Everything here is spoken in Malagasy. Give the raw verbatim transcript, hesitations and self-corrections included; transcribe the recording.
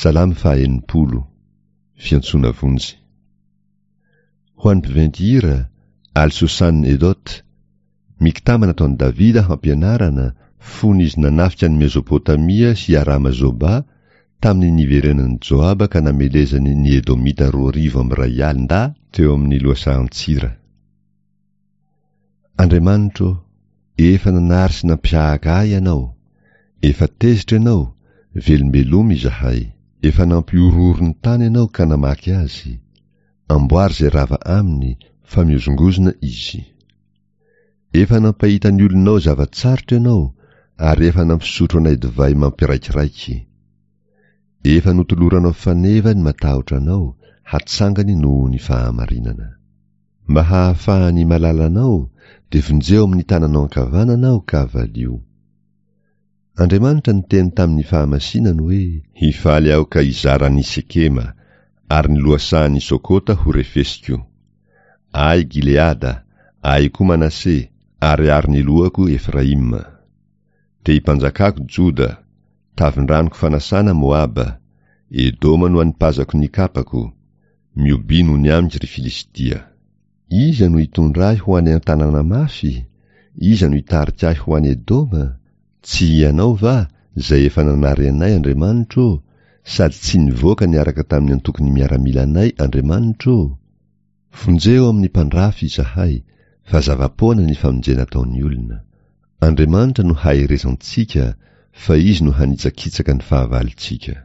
Salamo faha-enimpolo. Fiantsoana vonjy. Ho an'ny mpiventy hira, Al-Sosan Edot, Miktama nataon'i Davida hampianarana fony izy nanafika an'i Mezopotamia sy Arama-Zoba tamin'ny niverenan'i Joaba ka namelezany ny Edomita roa arivo amby iray alin-dahy teo amin'ny lohasahan-tsira. Andriamanitro, efa nanary sy nampihahaka ahy Ianao. Efa tezitra Ianao, velombelomy izahay. Efa nampihorohoro ny tany Ianao ka namaky azy. Amboary izay rava aminy, fa mihozongozona izy. Efa nampahita ny olonao zava-tsarotra Ianao, ary efa nampisotro anay divay mampiraikiraiky. Efa notoloranao faneva ny matahotra Anao, hatsangany noho ny fahamarinana. Mba hahafahan'ny malalanao, dia vonjeo amin'ny tananao ankavanana aho ka valio. Andriamanitra niteny tamin'ny fahamasinany hoe: Hifaly aho ka hizara an'i Sekema, ary ny lohasahan'i Sokota ho refesiko. Ahy Gileada, ahy koa Manase, ary ary ny lohako Efraima. Tehim-panjakako Joda, tavin-dranoko fanasana Moaba, Edoma no anipazako ny kapako, mihobiha noho ny amiko ry Filistia. Iza no hitondra ahy ho any an-tanàna mafy? Iza no hitarika ahy ho any Edoma? Tsy Ianao va, izay efa nanary anay, Andriamanitro ô, sady tsy nivoaka niaraka tamin'ny antokon'ny miaramilanay, Andriamanitro ô? Vonjeo amin'ny mpandrafy izahay, fa zava-poana ny famonjena ataon'ny olona. Andriamanitra no haherezantsika, fa Izy no hanitsakitsaka ny fahavalontsika.